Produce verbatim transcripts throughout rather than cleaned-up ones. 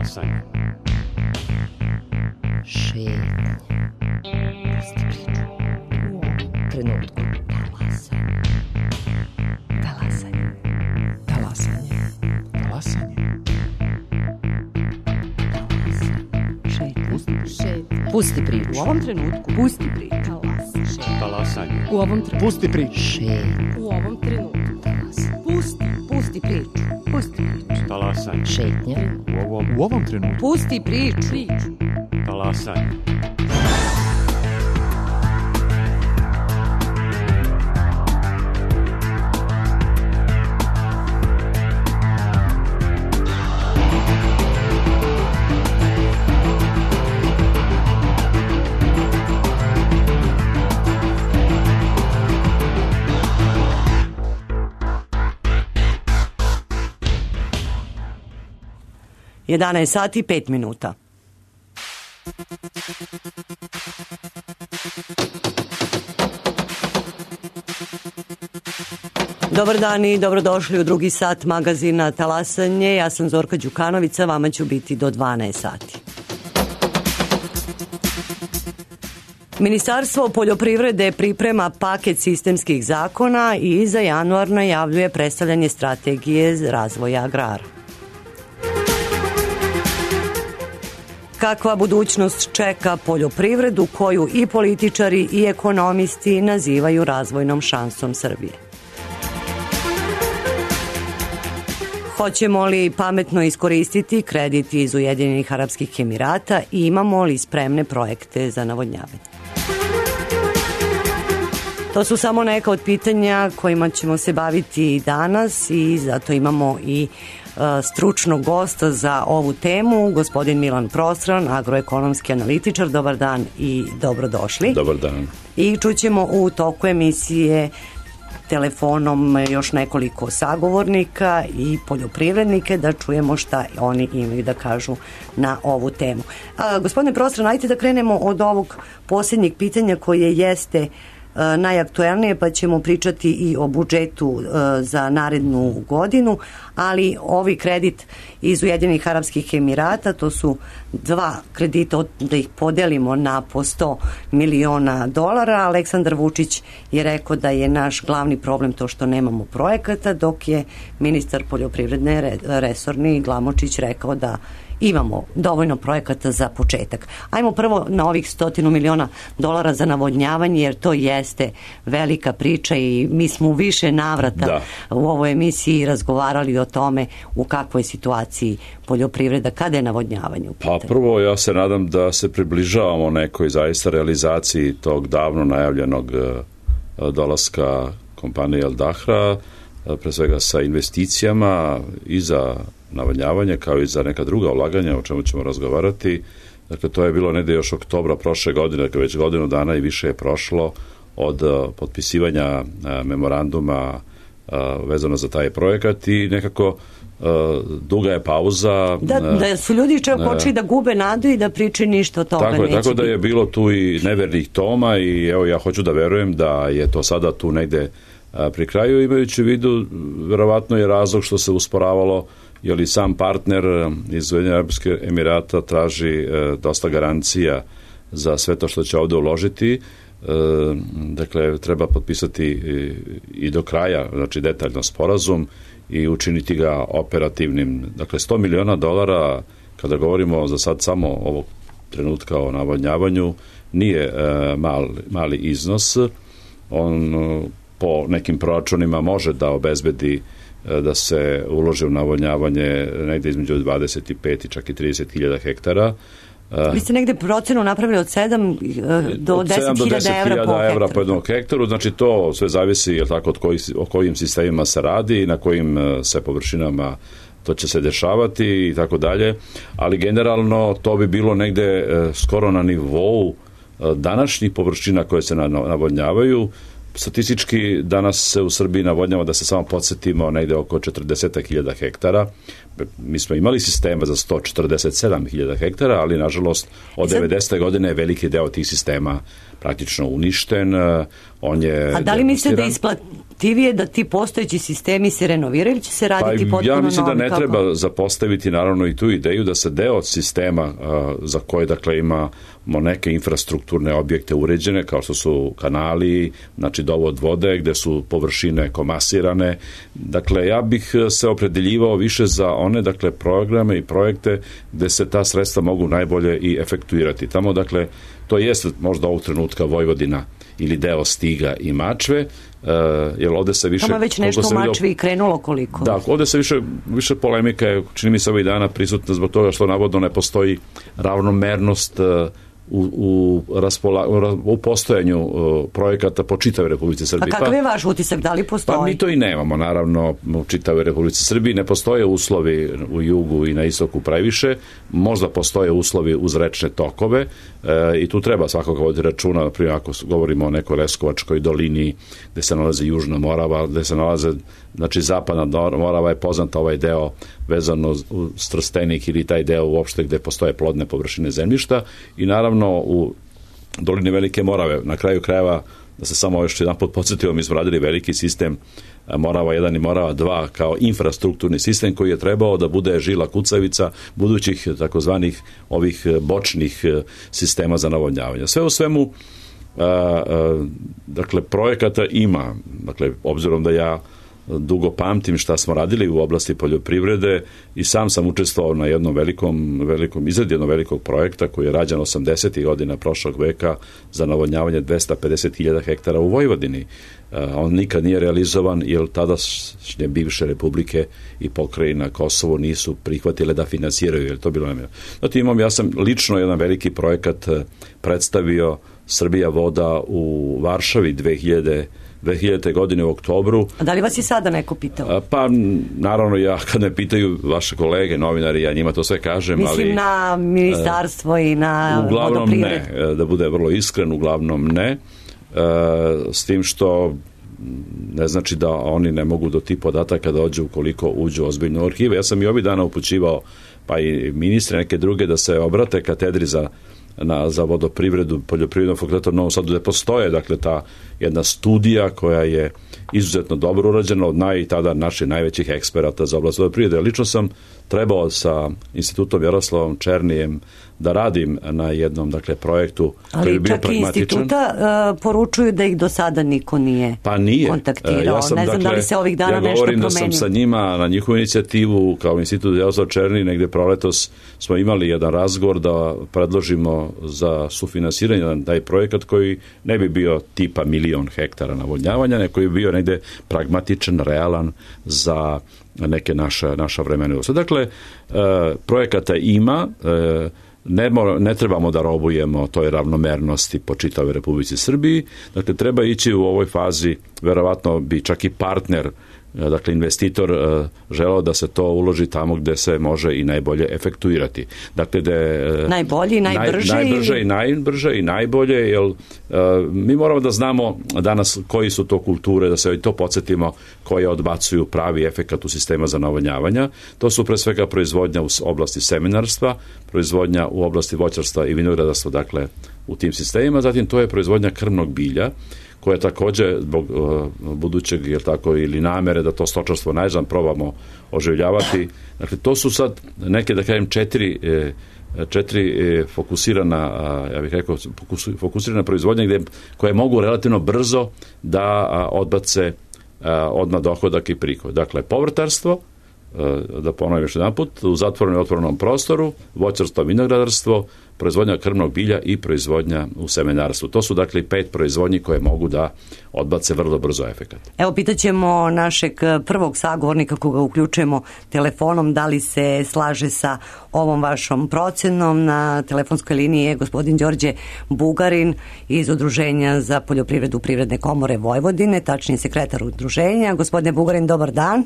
Talasanje. Šetnje. Pusti priču. U ovom trenutku. Talasanje. Talasanje. Talasanje. Talasanje. Šetnje. Pusti priču. U ovom trenutku. Pusti priču. Talasanje. U ovom trenutku. Pusti priču. Šetnje. U ovom trenutku. Pusti. Pusti priču. Pusti priču. Talasanje. Šetnje. U ovom, U ovom trenutku. Pusti priču. Priču. talasanje. jedanaest sati i pet minuta. Dobar dan i dobrodošli u drugi sat magazina Talasanje. Ja sam Zorka Đukanovića, vama ću biti do dvanaest sati. Ministarstvo poljoprivrede priprema paket sistemskih zakona i za januar najavljuje predstavljanje strategije razvoja agrara. Kakva budućnost čeka poljoprivredu koju i političari i ekonomisti nazivaju razvojnom šansom Srbije? Hoćemo li pametno iskoristiti kredit iz Ujedinjenih Arapskih Emirata i imamo li spremne projekte za navodnjavanje? To su samo neka od pitanja kojima ćemo se baviti danas i zato imamo i stručnog gosta za ovu temu, gospodin Milan Prostran, agroekonomski analitičar. Dobar dan i dobrodošli. Dobar dan. I čućemo u toku emisije telefonom još nekoliko sagovornika i poljoprivrednike da čujemo šta oni imaju da kažu na ovu temu. A, gospodine Prostran, ajte da krenemo od ovog posljednjeg pitanja koje jeste najaktuelnije, pa ćemo pričati i o budžetu za narednu godinu, ali ovi kredit iz Ujedinjenih Arapskih Emirata, to su dva kredita, da ih podelimo na po sto miliona dolara. Aleksandar Vučić je rekao da je naš glavni problem to što nemamo projekata, dok je ministar poljoprivredne resorni Glamočić rekao da imamo dovoljno projekata za početak. Ajmo prvo na ovih stotinu miliona dolara za navodnjavanje, jer to jeste velika priča i mi smo u više navrata da. u ovoj emisiji razgovarali o tome u kakvoj situaciji poljoprivreda, kada je navodnjavanje u pitanju. Pa prvo ja se nadam da se približavamo nekoj zaista realizaciji tog davno najavljenog dolaska kompanije Al Dahra, pre svega sa investicijama i za navodnjavanje kao i za neka druga ulaganja o čemu ćemo razgovarati. Dakle, to je bilo negde još oktobra prošle godine, dakle već godinu dana i više je prošlo od uh, potpisivanja uh, memoranduma uh, vezano za taj projekat i nekako uh, duga je pauza. Da, da su ljudi čak počeli da gube nadu i da priče ništa od toga tako neće. Tako da je bilo tu i nevernih toma i evo ja hoću da verujem da je to sada tu negde uh, pri kraju, imajući u vidu verovatno je razlog što se usporavalo jer i sam partner iz Ujedinjenih Arapskih Emirata traži e, dosta garancija za sve to što će ovde uložiti. E, dakle, treba potpisati i, i do kraja, znači detaljno sporazum i učiniti ga operativnim. Dakle, sto miliona dolara, kada govorimo za sad samo ovog trenutka o navodnjavanju, nije e, mal, mali iznos. On po nekim proračunima može da obezbedi da se uloži u navodnjavanje negde između dvadeset pet i čak i trideset hiljada hektara. Vi ste negde procenu napravili od sedam do deset hiljada evra po hektaru. po jednom hektaru, znači to sve zavisi je tako, od kojih, o kojim sistemima se radi i na kojim se površinama to će se dešavati i tako dalje, ali generalno to bi bilo negde skoro na nivou današnjih površina koje se navodnjavaju. Statistički danas se u Srbiji navodnjava, da se samo podsjetimo, negde oko četrdeset hiljada hektara. Mi smo imali sistema za sto četrdeset sedam hiljada hektara, ali nažalost od devedesete godine je veliki deo tih sistema praktično uništen. On je A da li mislite da, isplat, isplativije da ti postojeći sistemi se renoviraju ili će se raditi pa, potpuno ja mislim novi, da ne kako? treba zapostaviti naravno i tu ideju da se deo od sistema a, za koje dakle imamo neke infrastrukturne objekte uređene kao što su kanali, znači dovod vode gde su površine komasirane. Dakle, ja bih se opredeljivao više za one dakle programe i projekte gde se ta sredstva mogu najbolje i efektuirati. Tamo dakle to jeste možda ovog trenutka Vojvodina ili deo Stiga i Mačve, Uh, jer ovde se više... Tamo već nešto u Mačvi i krenulo koliko? Da, ovde se više, više polemika je, čini mi se ovih dana prisutna zbog toga što navodno ne postoji ravnomernost uh, u, u, raspola, u postojanju uh, projekata po čitavoj Republici Srbiji. A kakav je vaš utisak, da li postoji? Pa mi to i nemamo, naravno, u čitavoj Republici Srbiji. Ne postoje uslovi u jugu i na istoku previše, možda postoje uslovi uz rečne tokove e, i tu treba svakako voditi računa, na primjer ako govorimo o nekoj Leskovačkoj dolini gde se nalazi Južna Morava, gde se nalaze, znači Zapadna Morava je poznata ovaj deo vezano u Trstenik ili taj deo uopšte gde postoje plodne površine zemljišta i naravno u dolini Velike Morave, na kraju krajeva, da se samo još jedan put podsjetio, mi smo radili veliki sistem Morava jedan i Morava dva kao infrastrukturni sistem koji je trebao da bude žila kucavica budućih takozvanih ovih bočnih sistema za navodnjavanje. Sve u svemu, a, a, dakle, projekata ima, dakle, obzirom da ja dugo pamtim šta smo radili u oblasti poljoprivrede i sam sam učestvovao na jednom velikom, velikom izradi jednog velikog projekta koji je rađen osamdesetih godina prošlog veka za navodnjavanje dvesta pedeset hiljada hektara u Vojvodini. On nikad nije realizovan jer tadašnje bivše republike i pokrajina Kosovo nisu prihvatile da finansiraju, jer to bilo namjerno. Znači imam, ja sam lično jedan veliki projekat predstavio Srbija voda u Varšavi dve hiljadite godine u oktobru. A da li vas i sada neko pitao? Pa, naravno, ja kad me pitaju vaše kolege, novinari, ja njima to sve kažem, Mislim ali... Mislim na ministarstvo uh, i na uglavnom vodoprijed. ne, da bude vrlo iskren, uglavnom ne, uh, s tim što ne znači da oni ne mogu do tih podataka dođu ukoliko uđu ozbiljno u arhive. Ja sam i ovih dana upućivao, pa i ministre neke druge, da se obrate katedri za Na, za vodoprivredu poljoprivrednog fakulteta u Novom Sadu gde postoje dakle ta jedna studija koja je izuzetno dobro urađena od naj tada naših najvećih eksperata za oblast vodoprivrede. Lično sam trebao sa institutom Jaroslavom Černijem da radim na jednom dakle projektu koji je bio pragmatičan. Ali čak i instituta uh, poručuju da ih do sada niko nije, pa nije kontaktirao. Ja sam, ne znam dakle, da li se ovih dana ja nešto promenio. Ja govorim da sam sa njima na njihovu inicijativu kao institut Jaroslav Černi negde proletos smo imali jedan razgovor da predložimo za sufinansiranje na taj projekat koji ne bi bio tipa milion hektara navodnjavanja, nego bi bio negde pragmatičan, realan za neke naša, naša vremena. Dakle, e, projekata ima, e, ne, mora, ne trebamo da robujemo toj ravnomernosti po čitavoj Republici Srbiji, dakle, treba ići u ovoj fazi, verovatno bi čak i partner, dakle investitor želeo da se to uloži tamo gde se može i najbolje efektuirati. Dakle, de, najbolje i najbrže, naj, najbrže i najbrže i najbolje, jer uh, mi moramo da znamo danas koji su to kulture, da se i to podsjetimo, koje odbacuju pravi efekat u sistema za navodnjavanja. To su pre svega proizvodnja u oblasti semenarstva, proizvodnja u oblasti voćarstva i vinogradarstva, dakle, u tim sistemima, zatim to je proizvodnja krmnog bilja, koja takođe zbog uh, budućeg, jel tako, ili namere da to stočarstvo najzad probamo oživljavati. Dakle, to su sad neke, da kažem, četiri, četiri fokusirana, ja bih rekao, fokusirana proizvodnja gde, koje mogu relativno brzo da odbace odmah dohodak i prihod. Dakle, povrtarstvo, da ponovim još jedan put, u zatvorenom i otvorenom prostoru, voćarstvo, vinogradarstvo, proizvodnja krmnog bilja i proizvodnja u semenarstvu. To su dakle pet proizvodnji koje mogu da odbace vrlo brzo efekat. Evo, pitaćemo našeg prvog sagovornika koga uključujemo telefonom, da li se slaže sa ovom vašom procenom. Na telefonskoj liniji je gospodin Đorđe Bugarin iz Udruženja za poljoprivredu Privredne komore Vojvodine, tačnije sekretar udruženja. Gospodine Bugarin, dobar dan.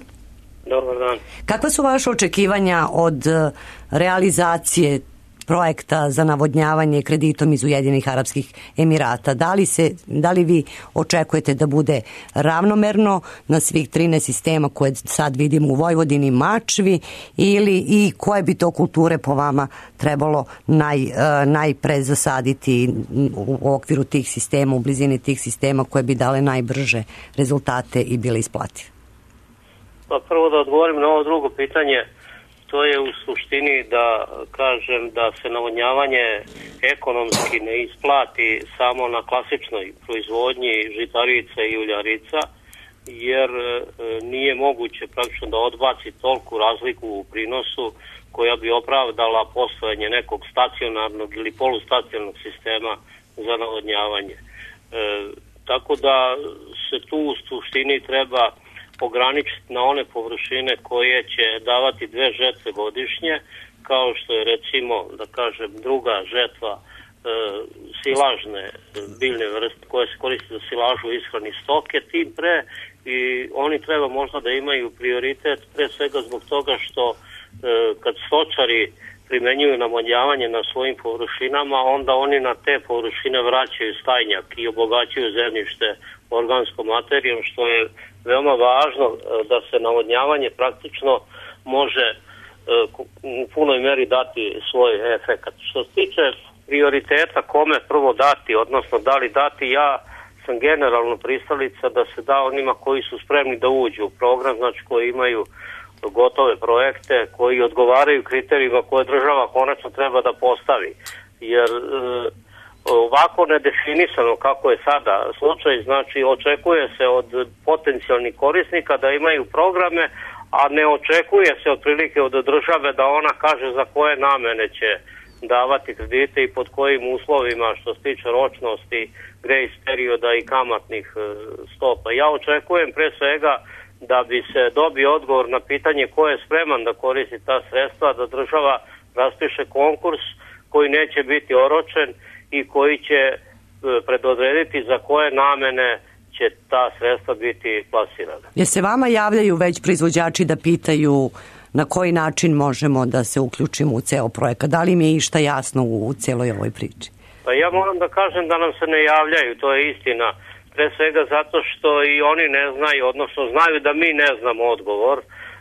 Dobar dan. Kakva su vaše očekivanja od realizacije projekta za navodnjavanje kreditom iz Ujedinjenih Arapskih Emirata. Da li, se, da li vi očekujete da bude ravnomerno na svih trinaest sistema koje sad vidimo u Vojvodini, Mačvi, ili i koje bi to kulture po vama trebalo naj, najpre zasaditi u okviru tih sistema, u blizini tih sistema koje bi dale najbrže rezultate i bile isplative? Pa prvo da odgovorim na ovo drugo pitanje, to je u suštini da kažem da se navodnjavanje ekonomski ne isplati samo na klasičnoj proizvodnji žitarica i uljarica, jer nije moguće praktično da odbaci toliku razliku u prinosu koja bi opravdala postojanje nekog stacionarnog ili polustacionarnog sistema za navodnjavanje. E, tako da se tu u suštini treba ograničiti na one površine koje će davati dve žetve godišnje, kao što je recimo, da kažem, druga žetva e, silažne biljne vrste koje se koriste za silažu ishrani stoke, tim pre i oni treba možda da imaju prioritet pre svega zbog toga što e, kad stočari primenjuju navodnjavanje na svojim površinama, onda oni na te površine vraćaju stajnjak i obogaćuju zemljište organskom materijom, što je veoma važno da se navodnjavanje praktično može u punoj meri dati svoj efekat. Što se tiče prioriteta kome prvo dati, odnosno da li dati, ja sam generalno pristalica da se da onima koji su spremni da uđu u program, znači koji imaju gotove projekte, koji odgovaraju kriterijima koje država konačno treba da postavi. Jer e, ovako nedefinisano kako je sada slučaj, znači očekuje se od potencijalnih korisnika da imaju programe, a ne očekuje se otprilike od države da ona kaže za koje namene će davati kredite i pod kojim uslovima što se tiče ročnosti, grace perioda i kamatnih stopa. Ja očekujem pre svega da bi se dobio odgovor na pitanje ko je spreman da koristi ta sredstva, da država raspiše konkurs koji neće biti oročen i koji će predodrediti za koje namene će ta sredstva biti plasirana. Je se vama javljaju već proizvođači da pitaju na koji način možemo da se uključimo u ceo projekat? Da li mi je išta jasno u celoj ovoj priči? Pa ja moram da kažem da nam se ne javljaju, to je istina. Pre svega zato što i oni ne znaju, odnosno znaju da mi ne znamo odgovor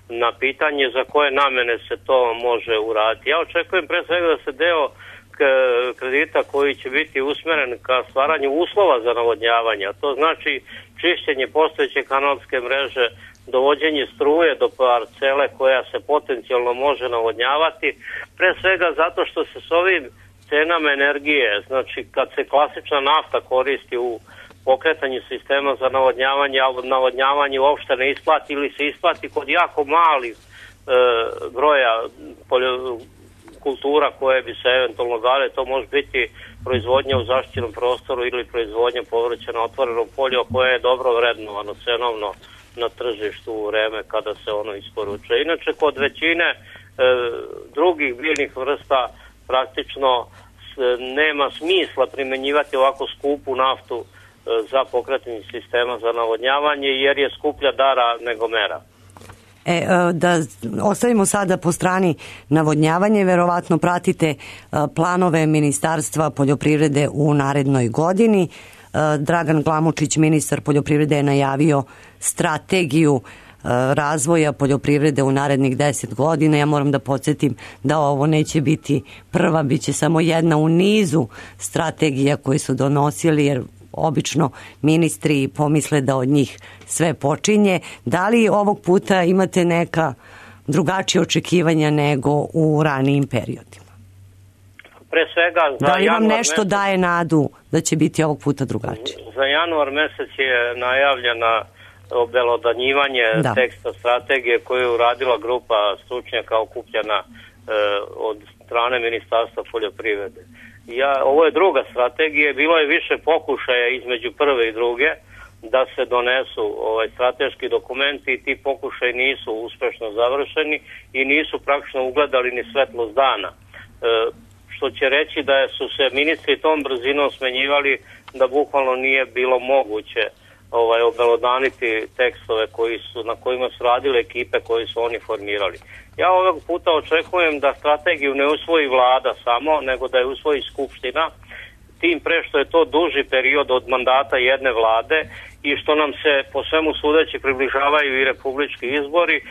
na pitanje za koje namene se to može uraditi. Ja očekujem pre svega da se deo kredita koji će biti usmeren ka stvaranju uslova za navodnjavanje, a to znači čišćenje postojeće kanalske mreže, dovođenje struje do parcele koja se potencijalno može navodnjavati, pre svega zato što se s ovim cenama energije, znači kad se klasična nafta koristi u pokretanju sistema za navodnjavanje, a navodnjavanje uopšte ne isplati ili se isplati kod jako malih e, broja poljo, kultura koje bi se eventualno dale, to može biti proizvodnja u zaštićenom prostoru ili proizvodnja povrća na otvorenom polju koje je dobro vrednovano cenovno na tržištu u vreme kada se ono isporučuje. Inače, kod većine e, drugih biljnih vrsta praktično s, nema smisla primenjivati ovako skupu naftu e, za pokretanje sistema za navodnjavanje jer je skuplja dara nego mera. E, da ostavimo sada po strani navodnjavanje, verovatno pratite planove Ministarstva poljoprivrede u narednoj godini. Dragan Glamočić, ministar poljoprivrede, je najavio strategiju razvoja poljoprivrede u narednih deset godina. Ja moram da podsjetim da ovo neće biti prva, bit će samo jedna u nizu strategija koje su donosili, jer obično ministri pomisle da od njih sve počinje. Da li ovog puta imate neka drugačija očekivanja nego u ranijim periodima? Pre svega za da li vam nešto mesec, daje nadu da će biti ovog puta drugačije? Za januar mesec je najavljena obelodanjivanje da. teksta strategije koju je uradila grupa stručnjaka okupljena e, od strane Ministarstva poljoprivrede. Ja, ovo je druga strategija, bilo je više pokušaja između prve i druge da se donesu ovaj strateški dokumenti i ti pokušaji nisu uspešno završeni i nisu praktično ugledali ni svetlost dana. E, što će reći da su se ministri tom brzinom smenjivali da bukvalno nije bilo moguće ovaj, obelodaniti tekstove koji su, na kojima su radile ekipe koje su oni formirali. Ja ovog puta očekujem da strategiju ne usvoji vlada samo, nego da je usvoji skupština, tim pre što je to duži period od mandata jedne vlade i što nam se po svemu sudeći približavaju i republički izbori, e,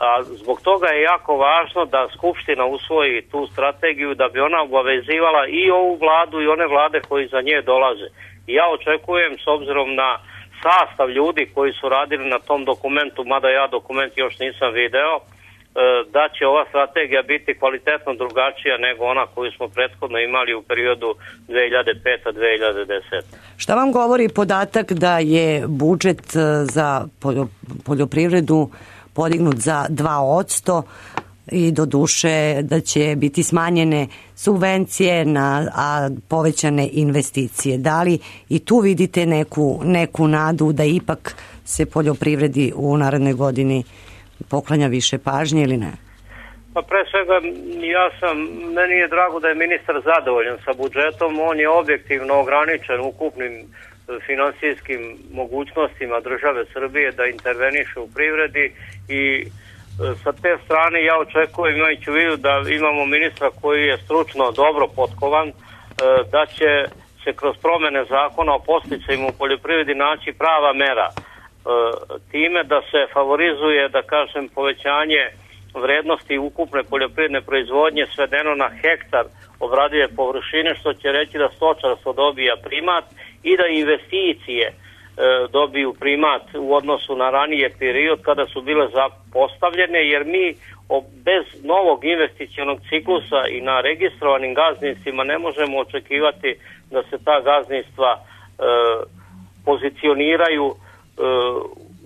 a zbog toga je jako važno da skupština usvoji tu strategiju da bi ona obavezivala i ovu vladu i one vlade koji za nje dolaze. I ja očekujem, s obzirom na sastav ljudi koji su radili na tom dokumentu, mada ja dokument još nisam video, da će ova strategija biti kvalitetno drugačija nego ona koju smo prethodno imali u periodu dve hiljade pete do dve hiljade desete. Šta vam govori podatak da je budžet za poljoprivredu podignut za dva posto i do duše da će biti smanjene subvencije, na, a povećane investicije? Da li i tu vidite neku, neku nadu da ipak se poljoprivredi u narednoj godini poklanja više pažnje ili ne? Pa pre svega ja sam, meni je drago da je ministar zadovoljan sa budžetom, on je objektivno ograničen ukupnim finansijskim mogućnostima države Srbije da interveniše u privredi i sa te strane ja očekujem, imajući u vidu da imamo ministra koji je stručno dobro potkovan, da će se kroz promene zakona o podsticajima u poljoprivredi naći prava mera. Time da se favorizuje, da kažem, povećanje vrednosti ukupne poljoprivredne proizvodnje svedeno na hektar obradive površine, što će reći da stočarstvo dobija primat i da investicije e, dobiju primat u odnosu na ranije period kada su bile zapostavljene, jer mi o, bez novog investicionog ciklusa i na registrovanim gazdinstvima ne možemo očekivati da se ta gazdinstva e, pozicioniraju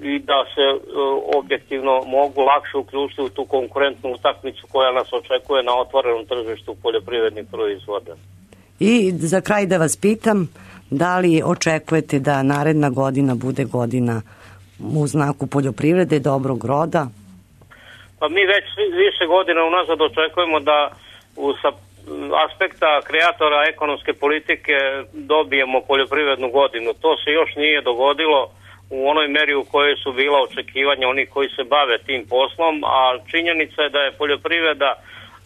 i da se objektivno mogu lakše uključiti u tu konkurentnu utakmicu koja nas očekuje na otvorenom tržištu poljoprivrednih proizvoda. I za kraj da vas pitam, da li očekujete da naredna godina bude godina u znaku poljoprivrede, dobrog roda? Pa mi već više godina unazad očekujemo da u sa aspekta kreatora ekonomske politike dobijemo poljoprivrednu godinu. To se još nije dogodilo u onoj meri u kojoj su bila očekivanja onih koji se bave tim poslom, a činjenica je da je poljoprivreda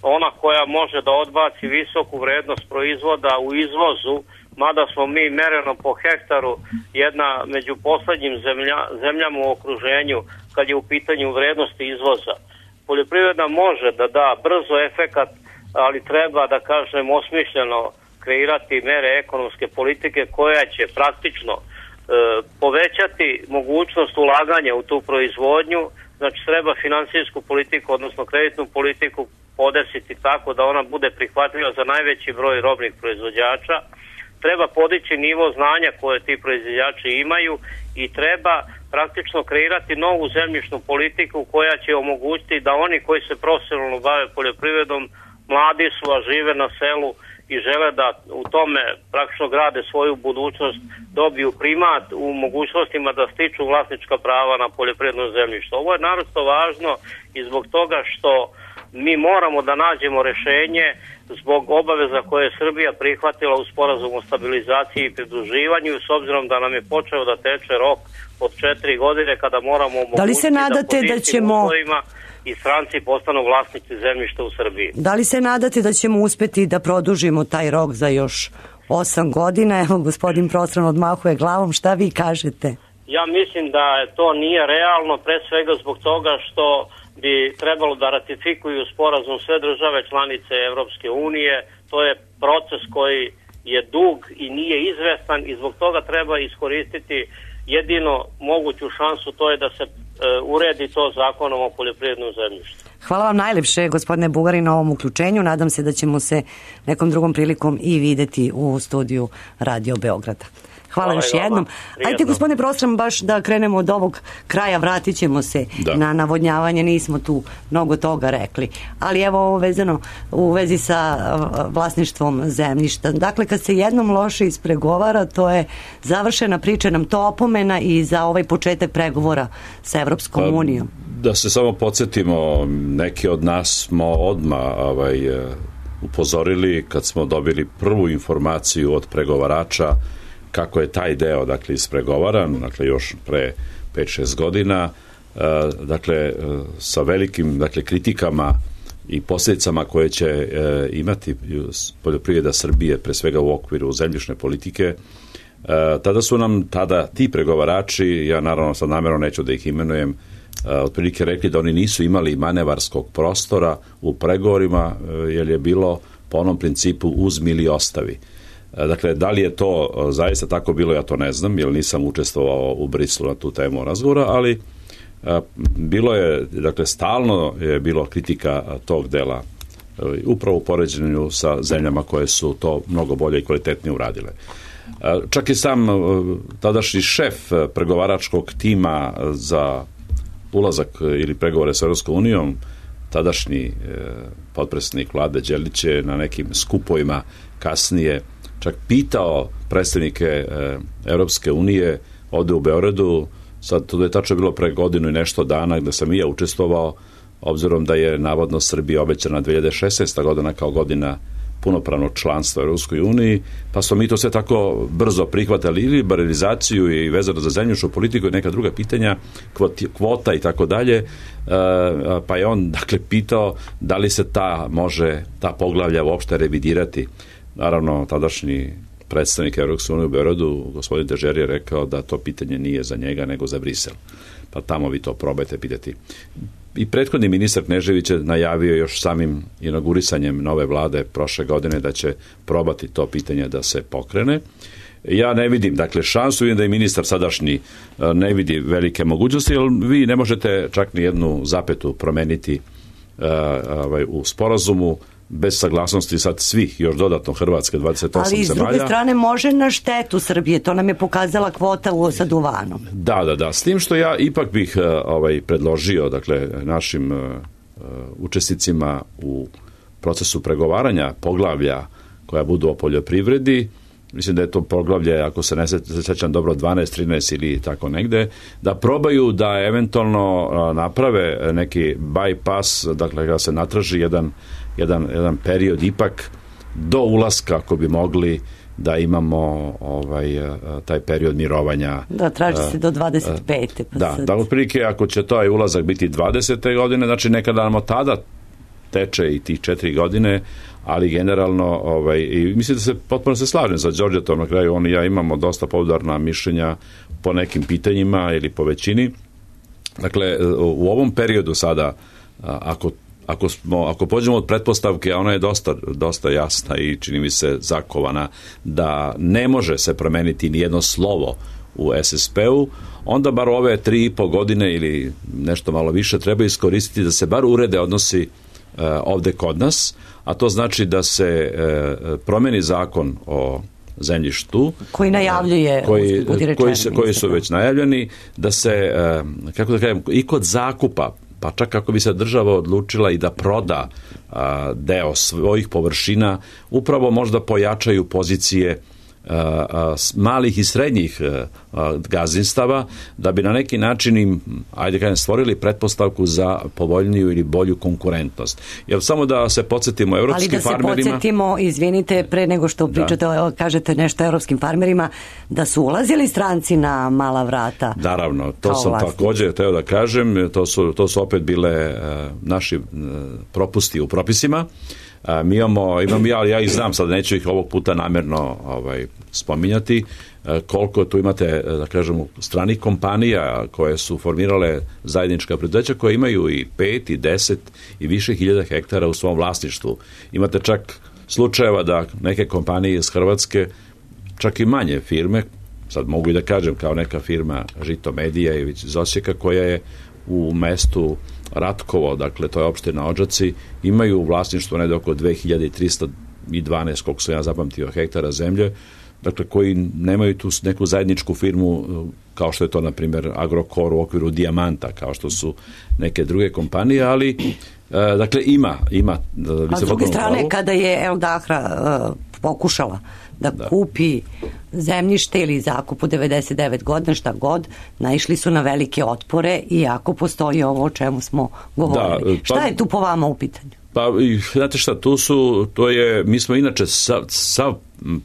ona koja može da odbaci visoku vrednost proizvoda u izvozu, mada smo mi mereno po hektaru jedna među poslednjim zemlja, zemljama u okruženju kad je u pitanju vrednosti izvoza. Poljoprivreda može da da brzo efekat, ali treba, da kažem, osmišljeno kreirati mere ekonomske politike koja će praktično povećati mogućnost ulaganja u tu proizvodnju. Znači treba finansijsku politiku, odnosno kreditnu politiku podesiti tako da ona bude prihvatljiva za najveći broj robnih proizvođača. Treba podići nivo znanja koje ti proizvođači imaju i treba praktično kreirati novu zemljišnu politiku koja će omogućiti da oni koji se profesionalno bave poljoprivredom, mladi su, a žive na selu i žele da u tome praktično grade svoju budućnost, dobiju primat u mogućnostima da stiču vlasnička prava na poljoprivredno zemljište. Ovo je naročito važno i zbog toga što mi moramo da nađemo rešenje zbog obaveza koje je Srbija prihvatila u sporazumu o stabilizaciji i pridruživanju, s obzirom da nam je počeo da teče rok od četiri godine kada moramo omogućiti da li se nadate da, da ćemo uslovima i stranci postanu vlasnici zemljišta u Srbiji. Da li se nadate da ćemo uspeti da produžimo taj rok za još osam godina? Evo, gospodin Prostran odmahuje glavom, šta vi kažete? Ja mislim da to nije realno, pre svega zbog toga što bi trebalo da ratifikuju sporazum sve države članice Evropske unije. To je proces koji je dug i nije izvestan i zbog toga treba iskoristiti jedino moguću šansu, to je da se e, uredi to zakonom o poljoprivrednom zemljištu. Hvala vam najlepše, gospodine Bugari, na ovom uključenju. Nadam se da ćemo se nekom drugom prilikom i videti u studiju Radio Beograda. Hvala, Hvala još jednom. Ajde, gospodine Prostran, baš da krenemo od ovog kraja, vratit ćemo se da. na navodnjavanje, nismo tu mnogo toga rekli. Ali evo ovo vezano u vezi sa vlasništvom zemljišta. Dakle, kad se jednom loše ispregovara, to je završena priča, nam to opomena i za ovaj početak pregovora sa Evropskom pa, unijom. Da se samo podsjetimo, neki od nas smo odmah ovaj, upozorili kad smo dobili prvu informaciju od pregovarača kako je taj deo dakle ispregovaran, dakle još pre pet šest godina, dakle sa velikim dakle kritikama i posljedicama koje će e, imati poljoprivreda Srbije, pre svega u okviru zemljišne politike, e, tada su nam tada ti pregovarači, ja naravno sad namjerno neću da ih imenujem, e, otprilike rekli da oni nisu imali manevarskog prostora u pregovorima, e, jer je bilo po onom principu uzmi ili ostavi. E, dakle, da li je to zaista tako bilo, ja to ne znam, jer nisam učestvovao u Briselu na tu temu razgovora, ali bilo je, dakle, stalno je bilo kritika tog dela, upravo u poređenju sa zemljama koje su to mnogo bolje i kvalitetnije uradile. Čak i sam tadašnji šef pregovaračkog tima za ulazak ili pregovore sa Europskom unijom, tadašnji potpredsjednik vlade Đelić je na nekim skupovima kasnije čak pitao predstavnike Europske unije ovde u Beogradu. Sad, to je tačno bilo pre godinu i nešto dana gde sam i ja učestvovao, obzirom da je navodno Srbija obećana dve hiljade šesnaesta godina kao godina punopravnog članstva u Europskoj uniji, pa smo mi to sve tako brzo prihvatali, ili liberalizaciju i vezano za zemljišnu politiku i neka druga pitanja, kvota i tako dalje, pa je on dakle pitao da li se ta može, ta poglavlja uopšte revidirati. Naravno, tadašnji predstavnik Europske unije u Beogradu, gospodin Dežer, je rekao da to pitanje nije za njega, nego za Brisel. Pa tamo vi to probajte pitati. I prethodni ministar Knežević je najavio još samim inaugurisanjem nove vlade prošle godine da će probati to pitanje da se pokrene. Ja ne vidim, dakle, šansu, vidim da i ministar sadašnji ne vidi velike mogućnosti, jer vi ne možete čak ni jednu zapetu promeniti uh, ovaj, u sporazumu bez saglasnosti sad svih, još dodatno Hrvatske, dvadeset osam ali zemalja. Ali s druge strane može na štetu Srbije, to nam je pokazala kvota u, sa duvanom. Da, da, da, s tim što ja ipak bih ovaj, predložio, dakle, našim uh, učesnicima u procesu pregovaranja poglavlja koja budu o poljoprivredi, mislim da je to poglavlje, ako se ne sećam dobro, dvanaest, trinaest ili tako negde, da probaju da eventualno naprave neki bypass, dakle da se natraži jedan, jedan, jedan period ipak do ulaska, ako bi mogli da imamo ovaj, taj period mirovanja. Da, traži se do dvadeset pete Pa da, sad... da, otprilike ako će taj ulazak biti dvadesete godine, znači nekada nam od tada teče i tih četiri godine, ali generalno, ovaj, i mislim da se potpuno se slažem sa Đorđetom, na kraju on i ja imamo dosta poudarna mišljenja po nekim pitanjima ili po većini. Dakle, u ovom periodu sada, ako, ako, smo, ako pođemo od pretpostavke, a ona je dosta, dosta jasna i čini mi se zakovana, da ne može se promeniti ni jedno slovo u es es pe-u, onda bar ove tri i po godine ili nešto malo više treba iskoristiti da se bar urede odnosi ovde kod nas, a to znači da se e, promeni zakon o zemljištu koji najavljuje koji, koji, se, koji su već najavljeni, da se e, kako da kažem, i kod zakupa, pa čak kako bi se država odlučila i da proda a, deo svojih površina, upravo možda pojačaju pozicije a, a, malih i srednjih a, gazdinstava, da bi na neki način im, ajde kažem, stvorili pretpostavku za povoljniju ili bolju konkurentnost. Jer samo da se podsjetimo evropskim farmerima... Ali da se podsjetimo, izvinite, pre nego što pričate, da. kažete nešto evropskim farmerima, da su ulazili stranci na mala vrata. Naravno, to sam vlasnici. Također teo da kažem, to su, to su opet bile uh, naši uh, propusti u propisima. A, mi imamo, imam ja, ja ih znam, sad neću ih ovog puta namjerno ovaj, spominjati, a, koliko tu imate, da kažemo, stranih kompanija koje su formirale zajednička preduzeća koje imaju i pet i deset i više hiljada hektara u svom vlasništvu. Imate čak slučajeva da neke kompanije iz Hrvatske, čak i manje firme, sad mogu i da kažem kao neka firma Žito Medija iz Osijeka, koja je u mestu Ratkovo, dakle to je opština Odžaci, imaju u vlasništvu negde oko dve hiljade trista dvanaest, koliko sam ja zapamtio, hektara zemlje, dakle koji nemaju tu neku zajedničku firmu kao što je to, na primjer, Agrokor u okviru Dijamanta, kao što su neke druge kompanije, ali e, dakle ima, ima. A s druge strane, kada je El Dahra uh, pokušala da, Da. kupi zemljište ili zakup u devedeset devet godina, šta god, naišli su na velike otpore, iako postoji ovo o čemu smo govorili. Da, pa- Šta je tu po vama u pitanju? Pa, i, znate šta, tu su, to je, mi smo inače sav, sav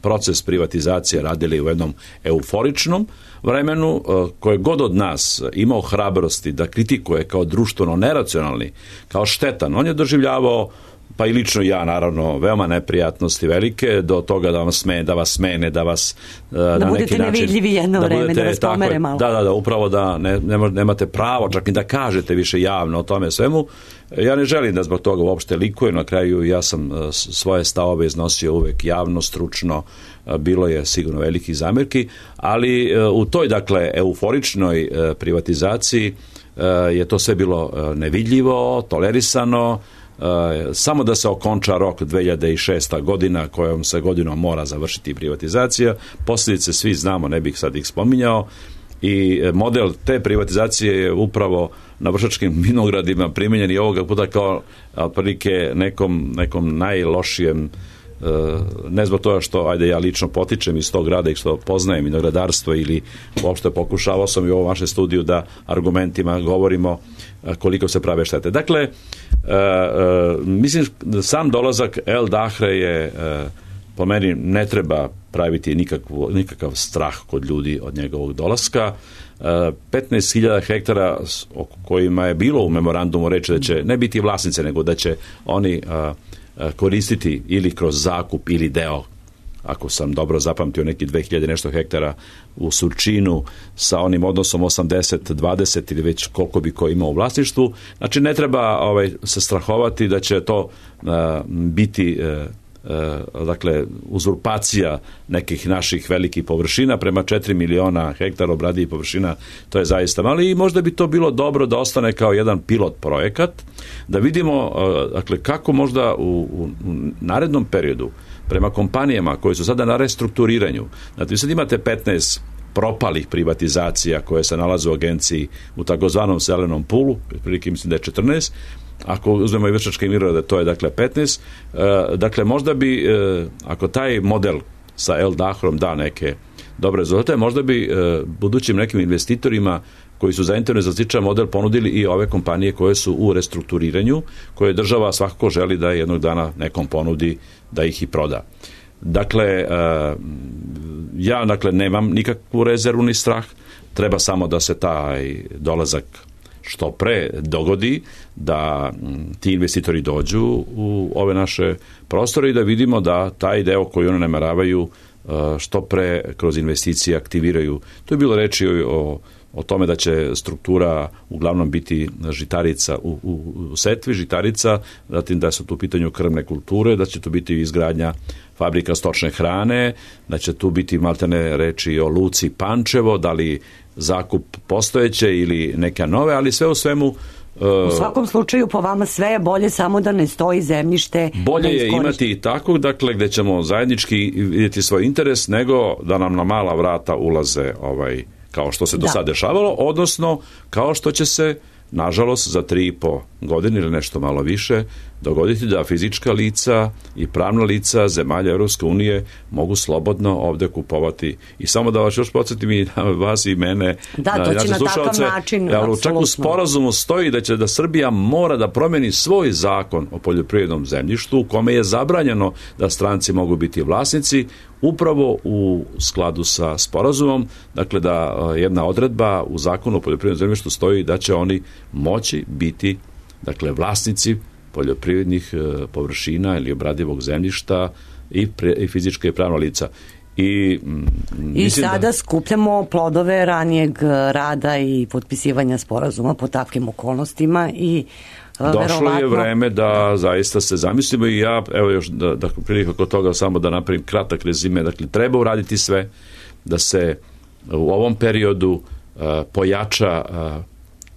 proces privatizacije radili u jednom euforičnom vremenu, eh, koje god od nas imao hrabrosti da kritikuje kao društveno neracionalni, kao štetan, on je doživljavao, pa i lično ja naravno, veoma neprijatnosti velike, do toga da vas smene, da vas smene, da vas uh, na neki budete način, nevidljivi jedno vreme, budete, da vas tako pomere je, malo. Da, da, da, upravo da ne, ne, nemate pravo čak ni da kažete više javno o tome svemu. Ja ne želim da zbog toga uopšte likujem, na kraju ja sam uh, svoje stavove iznosio uvek javno, stručno, uh, bilo je sigurno velikih zamerki, ali uh, u toj, dakle, euforičnoj uh, privatizaciji uh, je to sve bilo uh, nevidljivo, tolerisano. Uh, samo da se okonča rok dve hiljade šesta godina kojom se godinom mora završiti privatizacija. Posljedice svi znamo, ne bih sad ih spominjao, i model te privatizacije je upravo na Vršačkim vinogradima primenjen i ovoga puta kao otprilike nekom, nekom najlošijem, ne zbog toga što, ajde, ja lično potičem iz tog grada i što poznajem vinogradarstvo ili uopšte pokušavao sam i u ovom vašem studiju da argumentima govorimo koliko se prave štete. Dakle, uh, uh, mislim da sam dolazak El Dahre je, uh, po meni ne treba praviti nikakvu, nikakav strah kod ljudi od njegovog dolaska. Uh, petnaest hiljada hektara o kojima je bilo u memorandumu reći da će ne biti vlasnice, nego da će oni uh, koristiti ili kroz zakup ili deo, ako sam dobro zapamtio, neki dve hiljade nešto hektara u Surčinu sa onim odnosom osamdeset dvadeset ili već koliko bi ko imao u vlasništvu. Znači ne treba ovaj, se strahovati da će to uh, biti uh, uh, dakle uzurpacija nekih naših velikih površina prema četiri miliona hektara obradivih površina, to je zaista malo i možda bi to bilo dobro da ostane kao jedan pilot projekat, da vidimo uh, dakle kako možda u, u, u narednom periodu prema kompanijama koje su sada na restrukturiranju. Znači, vi sad imate petnaest propalih privatizacija koje se nalaze u agenciji u takozvanom zelenom pulu, prilike mislim da je četrnaest, ako uzmemo i Vršačke vinograde, to je dakle petnaest. E, dakle, možda bi, e, ako taj model sa El Dahrom da neke dobre rezultate, možda bi e, budućim nekim investitorima koji su zainteresovani za sličan model ponudili i ove kompanije koje su u restrukturiranju, koje država svakako želi da jednog dana nekom ponudi da ih i proda. Dakle, ja dakle nemam nikakvu rezervu ni strah, treba samo da se taj dolazak što pre dogodi, da ti investitori dođu u ove naše prostore i da vidimo da taj deo koji oni nameravaju što pre kroz investicije aktiviraju. Tu je bilo reči o o tome da će struktura uglavnom biti žitarica u, u, u setvi, žitarica, zatim da su tu u pitanju krvne kulture, da će tu biti izgradnja fabrika stočne hrane, da će tu biti maltene reči o luci Pančevo, da li zakup postojeće ili neka nove, ali sve u svemu u svakom slučaju po vama sve je bolje, samo da ne stoji zemljište. Bolje je imati i takvog, dakle, gde ćemo zajednički vidjeti svoj interes, nego da nam na mala vrata ulaze ovaj kao što se do sad dešavalo, odnosno kao što će se, nažalost, za tri i po godine ili nešto malo više dogoditi da fizička lica i pravna lica zemalja Europske unije mogu slobodno ovde kupovati. I samo da vas još podsjetim i vas i mene, da, to će na takav način, ja, čak u sporazumu stoji da će da Srbija mora da promeni svoj zakon o poljoprivrednom zemljištu u kome je zabranjeno da stranci mogu biti vlasnici, upravo u skladu sa sporazumom, dakle da jedna odredba u zakonu o poljoprivrednom zemljištu stoji da će oni moći biti, dakle, vlasnici poljoprivrednih e, površina ili obradivog zemljišta i, pre, i fizička i pravna lica. I, m, I sada da skupljamo plodove ranijeg rada i potpisivanja sporazuma po takvim okolnostima i došlo verovatno je vreme da zaista se zamislimo i ja, evo još da, da prilike oko toga samo da napravim kratak rezime, dakle treba uraditi sve da se u ovom periodu uh, pojača uh,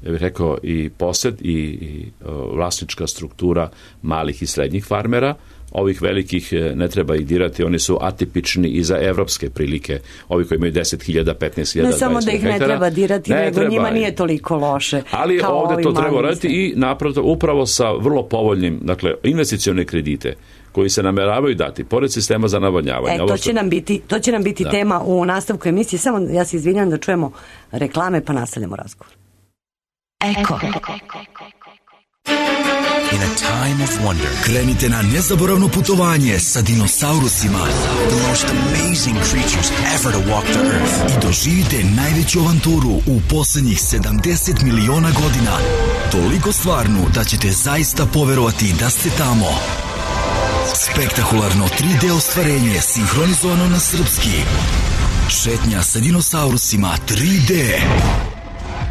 ja bih rekao i posed i, i uh, vlasnička struktura malih i srednjih farmera. Ovih velikih ne treba ih dirati, oni su atipični i za evropske prilike, ovi koji imaju deset hiljada, petnaest hiljada, ne samo da ih ne treba dirati, ne nego treba, njima nije toliko loše. Ali ovde to treba raditi i naprosto upravo sa vrlo povoljnim, dakle, investicione kredite koji se nameravaju dati, pored sistema za navodnjavanje. E, to će nam biti, to će nam biti da. tema u nastavku emisije. Samo ja se izvinjam da čujemo reklame pa nastavljamo razgovor. Eko. In a time of wonder, krenite na nezaboravno putovanje sa dinosaurusima. The most amazing creatures ever to walk the earth. I doživite najveću avanturu u posljednjih sedamdeset miliona godina. Toliko stvarnu da ćete zaista poverovati da ste tamo. Spektakularno tri D ostvarenje sinhronizovano na srpski. Šetnja sa dinosaurusima tri D.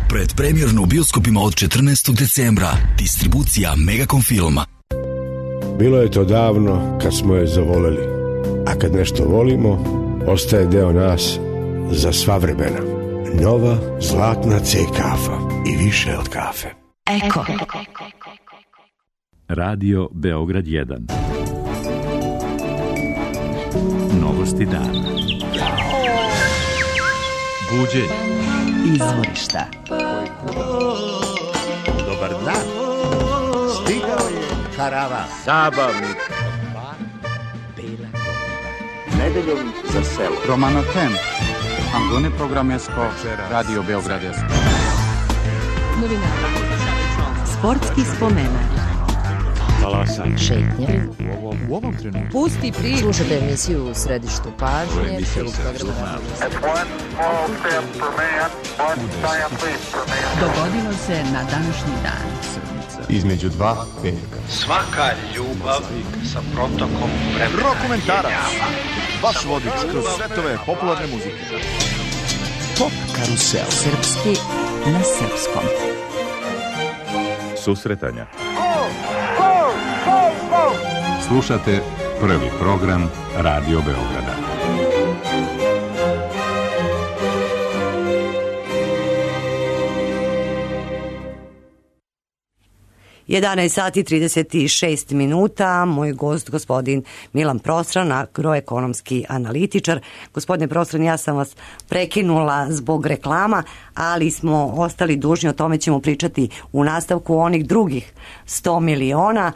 Predpremjerno u bioskopima od četrnaestog decembra. Distribucija Megacom Filma. Bilo je to davno kad smo je zavoleli. A kad nešto volimo, ostaje deo nas za sva vremena. Nova zlatna C kafa i više od kafe. Eko. Radio Beograd jedan. Novosti dana. Buđenje. Izvorišta. Dobar dan. Stigao je karavan. Zabavnik. Bela godina. Nedeljom za selo. Romano Ten. Angone Programesko. Radio Beogradesko. Novina. Sportski spomenak. Talasanje. Šetnje. U ovom trenutku. Pusti priču. Slušajte emisiju u središtu pažnje. Dogodilo se na današnji dan. Između dva petka. Svaka ljubav sa protokom vremena. Rokomentarac. Vaš vodič kroz svetove popularne muzike. Pop karusel. Srpski na srpskom. Susretanja. Slušate prvi program Radio Beograda. jedanaest sati trideset šest minuta, moj gost gospodin Milan Prostran, agroekonomski analitičar. Gospodine Prostran, ja sam vas prekinula zbog reklama, ali smo ostali dužni, o tome ćemo pričati u nastavku, onih drugih sto miliona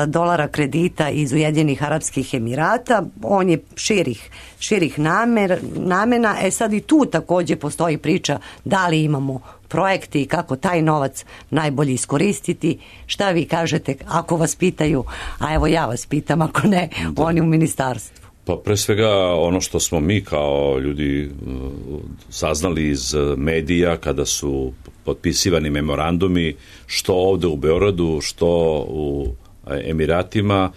dolara kredita iz Ujedinjenih Arapskih Emirata. On je širih, širih namer, namena. E sad i tu također postoji priča da li imamo projekti i kako taj novac najbolje iskoristiti. Šta vi kažete ako vas pitaju, a evo ja vas pitam, ako ne, da. Oni u ministarstvu? Pa pre svega ono što smo mi kao ljudi saznali iz medija kada su potpisivani memorandumi, što ovde u Beogradu, što u Emiratima,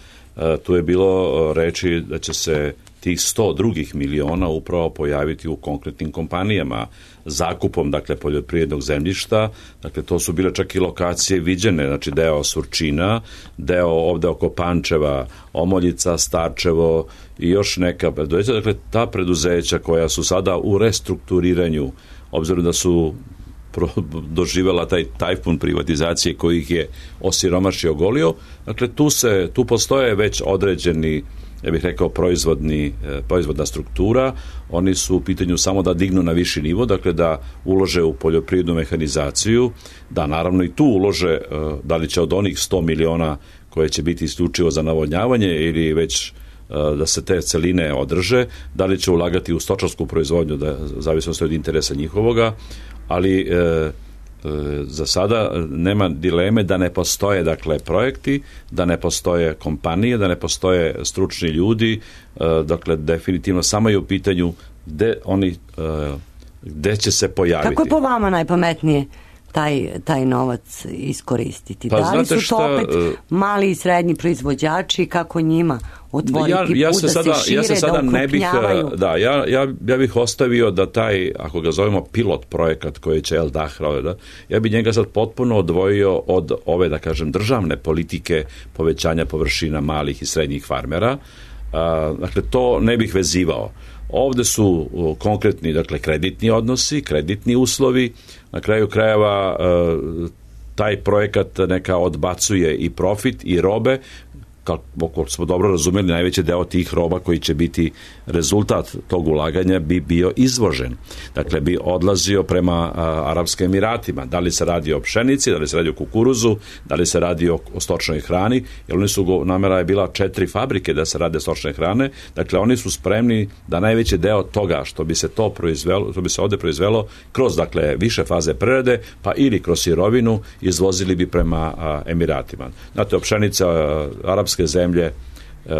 tu je bilo reči da će se tih sto drugih miliona upravo pojaviti u konkretnim kompanijama, zakupom, dakle, poljoprivrednog zemljišta. Dakle, to su bile čak i lokacije viđene, znači deo Surčina, deo ovde oko Pančeva, Omoljica, Starčevo i još neka preduzeća. Dakle, ta preduzeća koja su sada u restrukturiranju, obzirom da su doživela taj tajfun privatizacije koji ih je osiromašio, ogolio. Dakle, tu, se, tu postoje već određeni, ja bih rekao, proizvodni, proizvodna struktura. Oni su u pitanju samo da dignu na viši nivo, dakle da ulože u poljoprivrednu mehanizaciju, da naravno i tu ulože, da li će od onih sto miliona koje će biti isključivo za navodnjavanje ili već da se te celine održe, da li će ulagati u stočarsku proizvodnju, da zavisno od interesa njihovoga, ali e, e, za sada nema dileme da ne postoje, dakle, projekti, da ne postoje kompanije, da ne postoje stručni ljudi, e, dakle definitivno samo je u pitanju gde oni e, gde će se pojaviti. Kako je po vama najpametnije taj, taj novac iskoristiti? Pa, da li su to šta, opet mali i srednji proizvođači, kako njima otvoriti ja, ja put da sada, se šire, ja se sada da ne bih, da, ja, ja, ja bih ostavio da taj, ako ga zovemo pilot projekat koji će El Dahra, da, ja bih njega sad potpuno odvojio od ove, da kažem, državne politike povećanja površina malih i srednjih farmera. A, dakle, to ne bih vezivao. Ovde su konkretni, dakle, kreditni odnosi, kreditni uslovi. Na kraju krajeva taj projekat neka odbacuje i profit i robe kako smo dobro razumeli, najveći deo tih roba koji će biti rezultat tog ulaganja bi bio izvožen. Dakle, bi odlazio prema a, Arapskim Emiratima. Da li se radi o pšenici, da li se radi o kukuruzu, da li se radi o, o stočnoj hrani, jer oni su, namera je bila četiri fabrike da se rade stočne hrane, dakle oni su spremni da najveći deo toga što bi se to proizvelo, što bi se ovde proizvelo kroz, dakle, više faze prerade, pa ili kroz sirovinu izvozili bi prema a, Emiratima. Znate, pšenica, a, arapske zemlje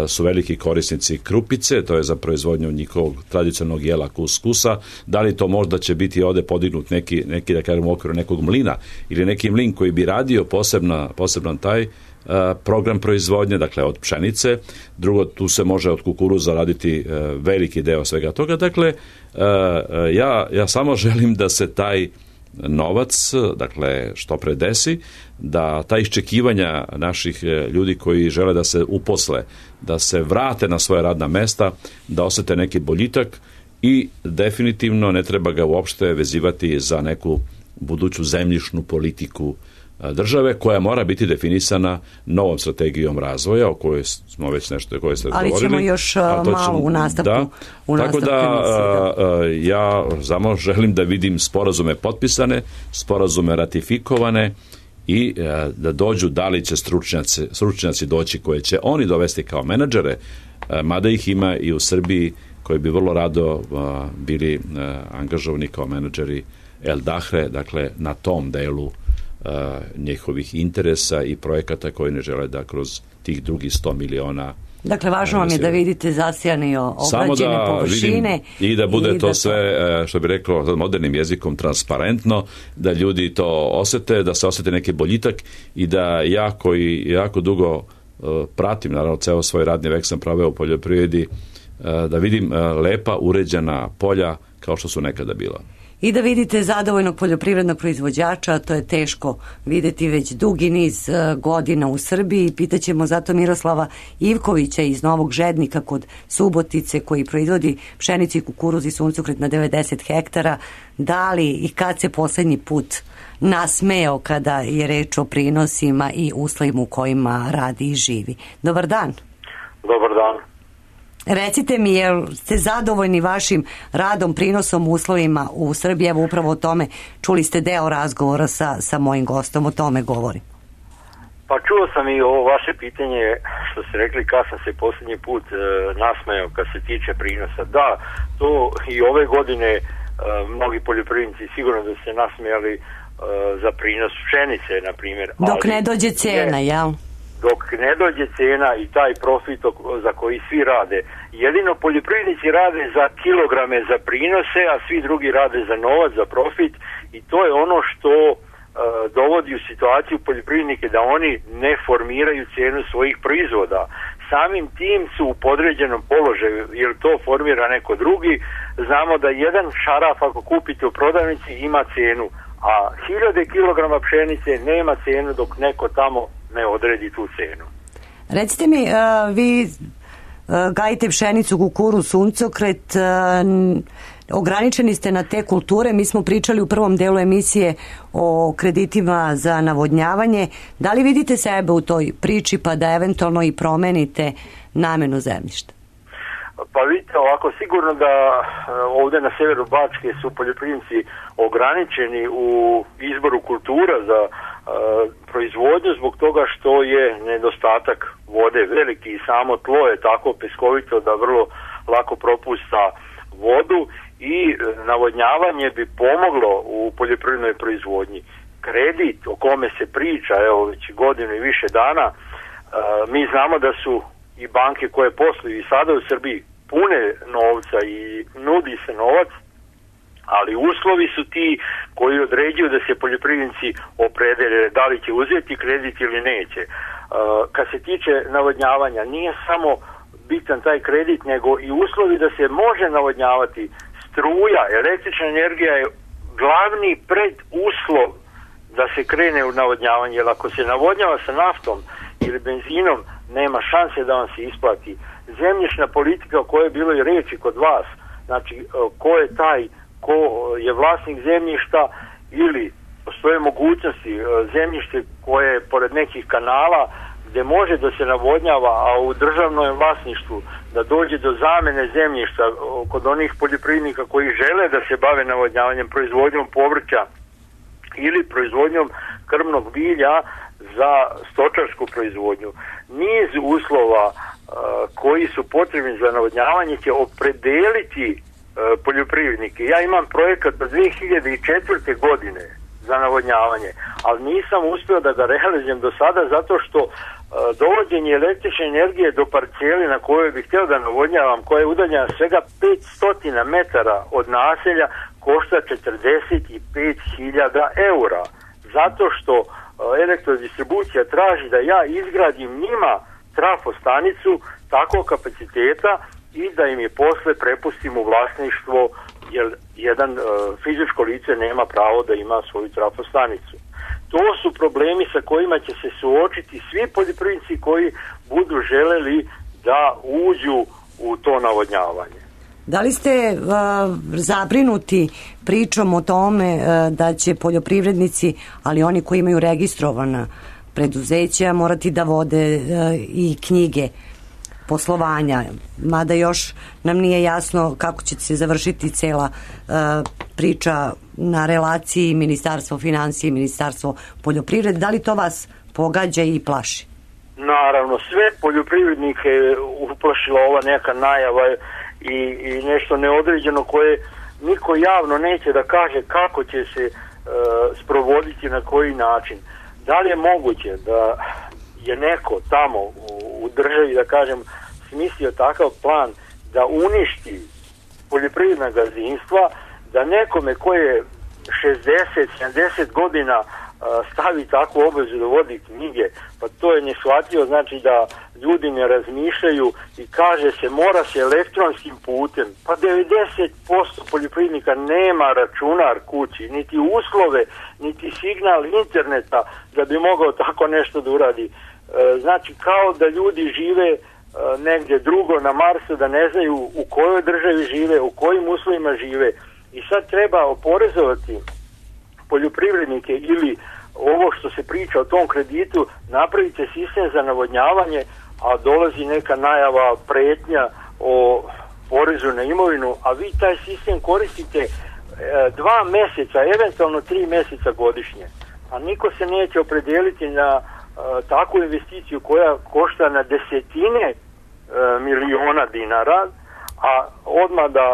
su veliki korisnici krupice, to je za proizvodnju njihovog tradicionalnog jela kuskusa. Da li to možda će biti ovde podignut neki, neki da kažem, u okviru nekog mlina ili neki mlin koji bi radio posebna, poseban taj uh, program proizvodnje, dakle od pšenice. Drugo, tu se može od kukuruza raditi uh, veliki deo svega toga. Dakle, uh, ja, ja samo želim da se taj novac, dakle, što pre desi, da ta iščekivanja naših ljudi koji žele da se uposle, da se vrate na svoje radna mesta, da osete neki boljitak i definitivno ne treba ga uopšte vezivati za neku buduću zemljišnu politiku države koja mora biti definisana novom strategijom razvoja o kojoj smo već nešto o kojoj ste ali govorili. Ali ćemo još malo ćemo, u nastavku. Da, u tako da, a, a, ja samo želim da vidim sporazume potpisane, sporazume ratifikovane i a, da dođu, da li će stručnjaci, stručnjaci doći koje će oni dovesti kao menadžere, a, mada ih ima i u Srbiji koji bi vrlo rado a, bili a, angažovani kao menadžeri El Dahre, dakle na tom delu Uh, njihovih interesa i projekata koji ne žele da kroz tih drugih sto miliona. Dakle, važno vam je da vidite zasijane obrađene da površine. I da bude i to da sve, to... što bi rekao modernim jezikom, transparentno, da ljudi to osete, da se osete neki boljitak i da ja koji jako dugo uh, pratim, naravno, ceo svoj radni vek sam proveo u poljoprivredi, uh, da vidim uh, lepa, uređena polja kao što su nekada bila. I da vidite zadovoljnog poljoprivrednog proizvođača, to je teško videti već dugi niz godina u Srbiji. Pitaćemo zato Miroslava Ivkovića iz Novog Žednika kod Subotice, koji proizvodi pšenicu i kukuruz i suncokret na devedeset hektara. Da li i kad se poslednji put nasmeo kada je reč o prinosima i uslovima u kojima radi i živi? Dobar dan. Dobar dan. Recite mi, jel ste zadovoljni vašim radom, prinosom, uslovima u Srbiji? Evo upravo o tome, čuli ste deo razgovora sa, sa mojim gostom, o tome govorim. Pa čuo sam i ovo vaše pitanje, što ste rekli kad sam se posljednji put e, nasmejao kad se tiče prinosa. Da, to i ove godine e, mnogi poljoprivrednici sigurno da se nasmejali e, za prinos pšenice, na primjer. Dok ne dođe cena, je, jel? Dok ne dođe cena i taj profit za koji svi rade. Jedino poljoprivrednici rade za kilograme za prinose, a svi drugi rade za novac, za profit, i to je ono što uh, dovodi u situaciju poljoprivrednike da oni ne formiraju cenu svojih proizvoda. Samim tim su u podređenom položaju, jer to formira neko drugi. Znamo da jedan šaraf ako kupite u prodavnici ima cenu, a hiljade kilograma pšenice nema cenu dok neko tamo ne odredi tu cenu. Recite mi, uh, vi uh, gajite pšenicu, kukuruz, suncokret, uh, ograničeni ste na te kulture. Mi smo pričali u prvom delu emisije o kreditima za navodnjavanje. Da li vidite sebe u toj priči pa da eventualno i promenite namenu zemljišta? Pa vidite, ovako sigurno da ovde na severu Bačke su poljoprivrednici ograničeni u izboru kultura za uh, proizvodnju zbog toga što je nedostatak vode veliki i samo tlo je tako peskovito da vrlo lako propusta vodu i navodnjavanje bi pomoglo u poljoprivrednoj proizvodnji. Kredit o kome se priča, evo već godinu i više dana, uh, mi znamo da su i banke koje posluju i sada u Srbiji pune novca i nudi se novac, ali uslovi su ti koji određuju da se poljoprivrednici opredele da li će uzeti kredit ili neće. Uh, kad se tiče navodnjavanja, nije samo bitan taj kredit, nego i uslovi da se može navodnjavati. Struja, električna energija je glavni preduslov da se krene u navodnjavanje, jer ako se navodnjava sa naftom ili benzinom, nema šanse da vam se isplati. Zemljišna politika o kojoj je bilo i reči kod vas, znači ko je taj, ko je vlasnik zemljišta ili postoje mogućnosti zemljište koje je pored nekih kanala gde može da se navodnjava, a u državnom vlasništvu, da dođe do zamene zemljišta kod onih poljoprivrednika koji žele da se bave navodnjavanjem, proizvodnjom povrća ili proizvodnjom krmnog bilja za stočarsku proizvodnju. Niz uslova uh, koji su potrebni za navodnjavanje će opredeliti uh, poljoprivrednike. Ja imam projekat od dve hiljade četvrte. godine za navodnjavanje, ali nisam uspio da ga realizujem do sada zato što uh, dovođenje električne energije do parceli na kojoj bih htio da navodnjavam, koja je udaljena svega petsto metara od naselja, košta četrdeset pet hiljada eura. Zato što uh, elektrodistribucija traži da ja izgradim njima trafostanicu takvog kapaciteta i da im je posle prepustim u vlasništvo, jer jedan uh, fizičko lice nema pravo da ima svoju trafostanicu. To su problemi sa kojima će se suočiti svi poljoprivrednici koji budu želeli da uđu u to navodnjavanje. Da li ste uh, zabrinuti pričom o tome uh, da će poljoprivrednici, ali oni koji imaju registrovana preduzeća, morati da vode uh, i knjige poslovanja, mada još nam nije jasno kako će se završiti cela uh, priča na relaciji Ministarstvo financije i Ministarstvo poljoprivrede. Da li to vas pogađa i plaši? Naravno, sve poljoprivrednike uplašila ova neka najava i, i nešto neodređeno koje niko javno neće da kaže kako će se uh, sprovoditi, na koji način. Da li je moguće da je neko tamo u, u državi, da kažem, smislio takav plan da uništi poljoprivredna gazdinstva, da nekome koje je šezdeset sedamdeset godina stavi takvu obavezu da vodi knjige, pa to je neshvatljivo. Znači da ljudi ne razmišljaju i kaže se mora se elektronskim putem, pa devedeset posto poljoprivrednika nema računar kući, niti uslove, niti signal interneta da bi mogao tako nešto da uradi. Znači kao da ljudi žive negdje drugo na Marsu, da ne znaju u kojoj državi žive, u kojim uslovima žive, i sad treba oporezovati poljoprivrednike ili ovo što se priča o tom kreditu, napravite sistem za navodnjavanje, a dolazi neka najava, pretnja o porezu na imovinu, a vi taj sistem koristite e, dva meseca, eventualno tri meseca godišnje, a niko se neće opredeliti na e, takvu investiciju koja košta na desetine e, miliona dinara, a odmah da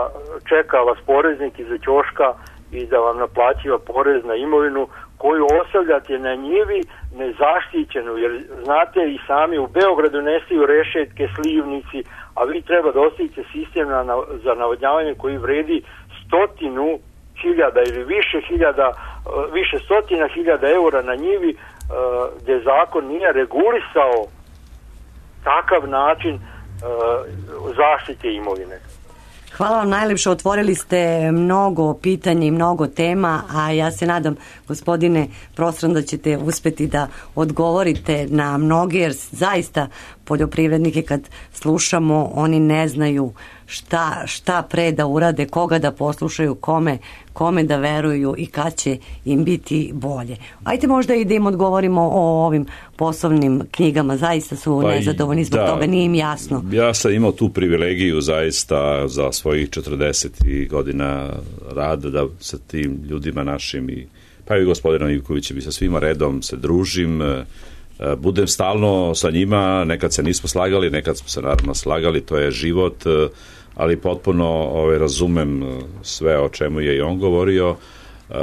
čeka vas poreznik iza ćoška i da vam naplaćiva porez na imovinu koju ostavljate na njivi nezaštićenu, jer znate i sami u Beogradu nestaju rešetke, slivnici, a vi treba da ostavite sistem na, na, za navodnjavanje koji vredi stotinu hiljada ili više hiljada, više stotina hiljada eura na njivi, gde zakon nije regulisao takav način zaštite imovine. Hvala vam najlepše, otvorili ste mnogo pitanja i mnogo tema, a ja se nadam, gospodine Prostran, da ćete uspeti da odgovorite na mnoge, jer zaista poljoprivrednike kad slušamo, oni ne znaju šta, šta pre da urade, koga da poslušaju, kome, kome da veruju i kad će im biti bolje. Ajde možda i da im odgovorimo o ovim poslovnim knjigama, zaista su pa nezadovoljni zbog da, toga, nije im jasno. Ja sam imao tu privilegiju zaista za svojih četrdeset godina rada da sa tim ljudima našim, i, pa i gospodinom Ivkovićem i sa svima redom se družim, budem stalno sa njima, nekad se nismo slagali, nekad smo se naravno slagali, to je život, ali potpuno ovaj, razumem sve o čemu je i on govorio.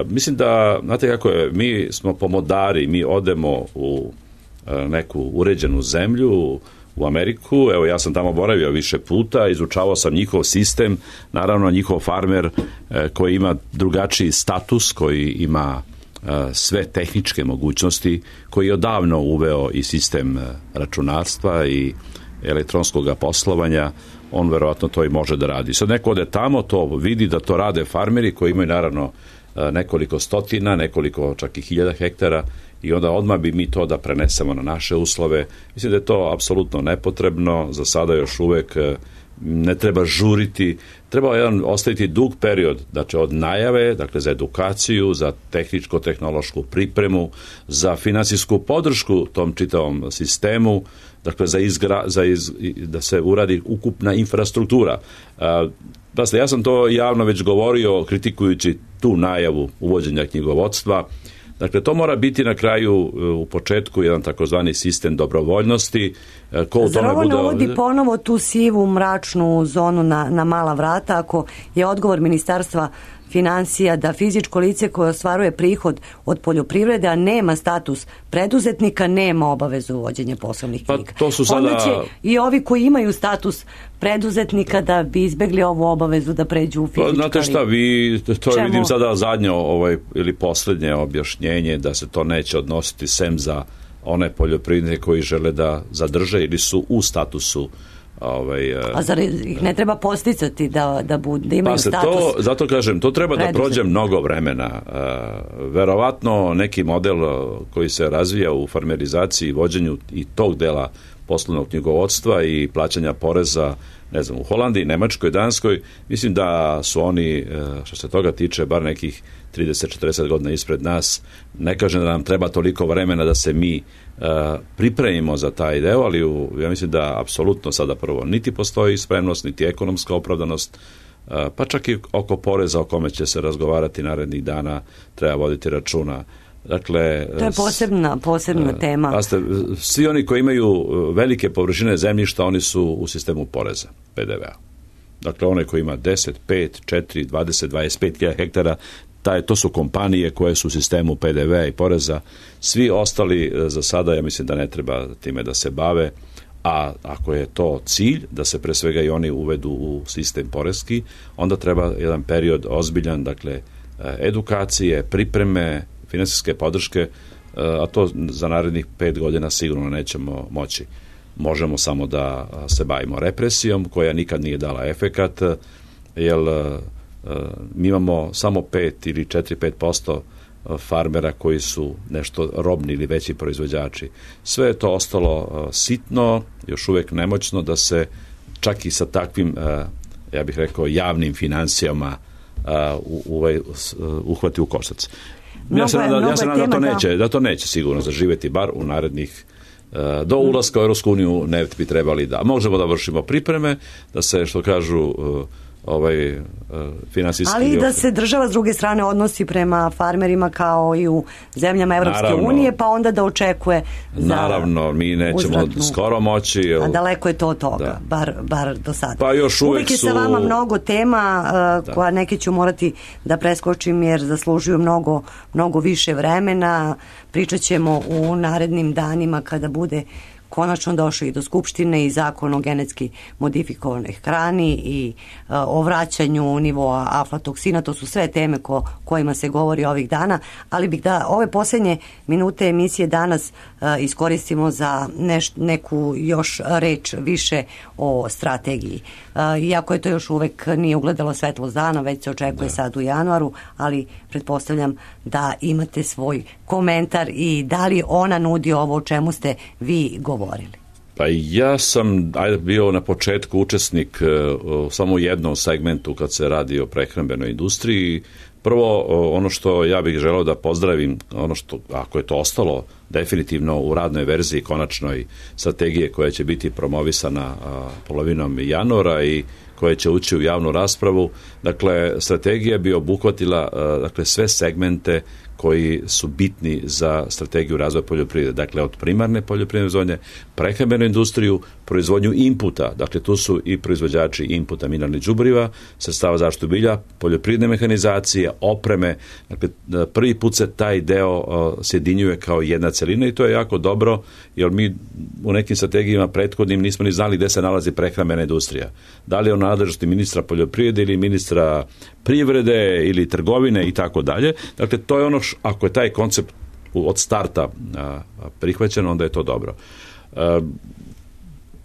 Mislim da, znate kako je, mi smo pomodari, mi odemo u neku uređenu zemlju, u Ameriku, evo ja sam tamo boravio više puta, izučavao sam njihov sistem, naravno njihov farmer koji ima drugačiji status, koji ima sve tehničke mogućnosti, koji je odavno uveo i sistem računarstva i elektronskog poslovanja, on verovatno to i može da radi. Sad neko ode tamo, to vidi da to rade farmeri koji imaju naravno nekoliko stotina, nekoliko čak i hiljada hektara, i onda odmah bi mi to da prenesemo na naše uslove. Mislim da je to apsolutno nepotrebno. Za sada još uvek ne treba žuriti, treba jedan ostaviti dug period, znači od najave, dakle za edukaciju, za tehničko-tehnološku pripremu, za finansijsku podršku tom čitavom sistemu, dakle za, izgra, za iz, da se uradi ukupna infrastruktura. Pasle, ja sam to javno već govorio kritikujući tu najavu uvođenja knjigovodstva. Dakle, to mora biti na kraju u početku jedan takozvani sistem dobrovoljnosti. Ko u Zar tome ovo bude... ne uvodi ponovo tu sivu mračnu zonu na, na mala vrata ako je odgovor Ministarstva financija da fizičko lice koje ostvaruje prihod od poljoprivrede, a nema status preduzetnika, nema obavezu uvođenja poslovnih knjiga. Pa to su sada... Onda će i ovi koji imaju status preduzetnika da bi izbegli ovu obavezu da pređu u fizička lica. Znate šta, vi, to Čemu? vidim sada zadnje ovaj, ili posljednje objašnjenje da se to neće odnositi sem za one poljoprivrednike koji žele da zadrže ili su u statusu ovaj, a zar ih ne treba posticati da, da, budu, da imaju pa se status? To, zato kažem, to treba da prođe mnogo vremena. Uh, verovatno neki model koji se razvija u farmerizaciji i vođenju i tog dela poslovnog knjigovodstva i plaćanja poreza, ne znam, u Holandiji, Nemačkoj, Danskoj, mislim da su oni, što se toga tiče, bar nekih trideset do četrdeset godina ispred nas. Ne kažem da nam treba toliko vremena da se mi uh, pripremimo za taj deo, ali u, ja mislim da apsolutno sada prvo niti postoji spremnost, niti ekonomska opravdanost, uh, pa čak i oko poreza o kome će se razgovarati narednih dana treba voditi računa. Dakle, to je posebna, posebna uh, tema. Paste, svi oni koji imaju velike površine zemljišta, oni su u sistemu poreza, P D V-a. Dakle, onaj koji ima deset, pet, četiri, dvadeset, dvadeset pet hiljada hektara, taj, to su kompanije koje su u sistemu P D V-a i poreza. Svi ostali za sada, ja mislim da ne treba time da se bave, a ako je to cilj, da se pre svega i oni uvedu u sistem poreski, onda treba jedan period ozbiljan, dakle, edukacije, pripreme, finansijske podrške, a to za narednih pet godina sigurno nećemo moći. Možemo samo da se bavimo represijom, koja nikad nije dala efekat, jer mi imamo samo pet ili četiri do pet posto farmera koji su nešto robni ili veći proizvođači. Sve je to ostalo sitno, još uvijek nemoćno da se čak i sa takvim, ja bih rekao, javnim financijama uhvati u koštac. Ja se nadam ja da to neće, da to neće sigurno zaživjeti, bar u narednih do ulaska u Europsku uniju ne bi trebali da. Možemo da vršimo pripreme, da se, što kažu, ovaj finansijski... Ali i da se država s druge strane odnosi prema farmerima kao i u zemljama Evropske unije, pa onda da očekuje za naravno, mi nećemo uzvratnu, skoro moći... Jel, a daleko je to od toga, da. bar, bar do sada. Pa još uvijek, uvijek je su... sa vama mnogo tema uh, koja neke ću morati da preskočim jer zaslužuju mnogo, mnogo više vremena. Pričat ćemo u narednim danima kada bude konačno došao i do Skupštine i zakon o genetski modifikovanoj hrani i uh, o vraćanju nivoa aflatoksina. To su sve teme ko, kojima se govori ovih dana, ali bih da ove posljednje minute emisije danas uh, iskoristimo za neš, neku još reč više o strategiji. Uh, iako je to još uvek nije ugledalo svetlost dana, već se očekuje da. sad u januaru, ali pretpostavljam da imate svoj komentar i da li ona nudi ovo o čemu ste vi govorili. Pa ja sam ajde, bio na početku učesnik u samo jednom segmentu kad se radi o prehrambenoj industriji. Prvo, ono što ja bih želeo da pozdravim, ono što, ako je to ostalo definitivno u radnoj verziji konačnoj strategije koja će biti promovisana polovinom januara i koja će ući u javnu raspravu, dakle, strategija bi obuhvatila dakle, sve segmente koji su bitni za strategiju razvoja poljoprivrede. Dakle, od primarne poljoprivredne proizvodnje, prehrambenu industriju, proizvodnju inputa. Dakle, tu su i proizvođači inputa mineralnih đubriva, sredstava zaštitu bilja, poljoprivredne mehanizacije, opreme. Dakle, prvi put se taj deo uh, sjedinjuje kao jedna celina i to je jako dobro, jer mi u nekim strategijama prethodnim nismo ni znali gde se nalazi prehrambena industrija. Da li je ona nadležnosti ministra poljoprivrede ili ministra privrede ili trgovine i tako dalje. Dakle, to je ono š, ako je taj koncept od starta a, prihvaćen, onda je to dobro. A,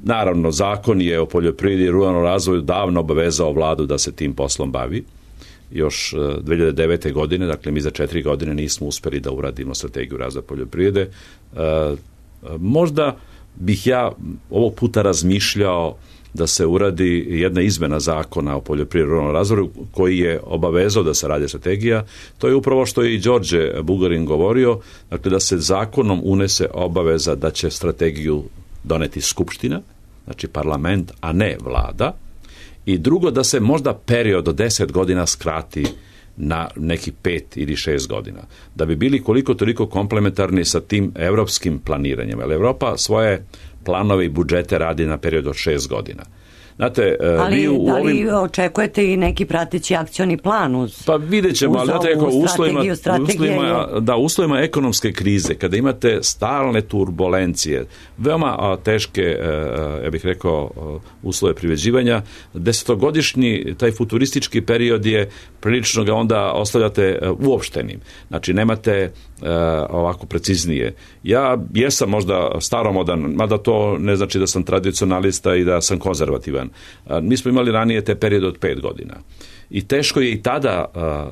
naravno, zakon je o poljoprivredi i ruralnom razvoju davno obavezao vladu da se tim poslom bavi. Još dve hiljade devete. godine, dakle mi za četiri godine nismo uspeli da uradimo strategiju razvoja poljoprivrede. A, možda bih ja ovog puta razmišljao da se uradi jedna izmena zakona o poljoprivrednom razvoju koji je obavezao da se radi strategija. To je upravo što je i Đorđe Bugarin govorio, dakle da se zakonom unese obaveza da će strategiju doneti skupština, znači parlament, a ne vlada. I drugo, da se možda period od deset godina skrati na neki pet ili šest godina. Da bi bili koliko toliko komplementarni sa tim evropskim planiranjem. Jer Evropa svoje planove i budžete radi na period od šest godina. Znate, ali vi u da li ovim... očekujete i neki prateći akcioni plan uz, pa vidjet ćemo, ali znate, u uslovima, uslovima, da, uslovima ekonomske krize, kada imate stalne turbulencije, veoma a, teške, a, ja bih rekao, a, uslove privređivanja, desetogodišnji taj futuristički period je prilično ga onda ostavljate a, uopštenim. Znači, nemate a, ovako preciznije. Ja jesam možda staromodan, mada to ne znači da sam tradicionalista i da sam konzervativan. Mi smo imali ranije te periode od pet godina. I teško je i tada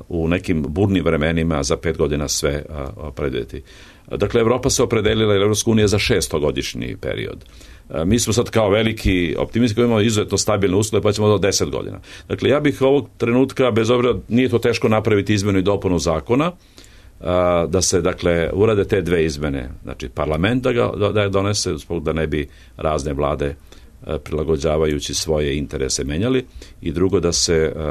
uh, u nekim burnim vremenima za pet godina sve uh, predvidjeti. Dakle, Evropa se opredelila, ili Evropska unija, za šestogodišnji period. Uh, mi smo sad kao veliki optimisti koji imamo izuzetno stabilne uslove, pa ćemo do deset godina. Dakle, ja bih ovog trenutka, bez obzira, nije to teško napraviti izmenu i dopunu zakona, uh, da se, dakle, urade te dve izmene. Znači, parlament da ga da je donese, da ne bi razne vlade prilagođavajući svoje interese menjali, i drugo da se uh,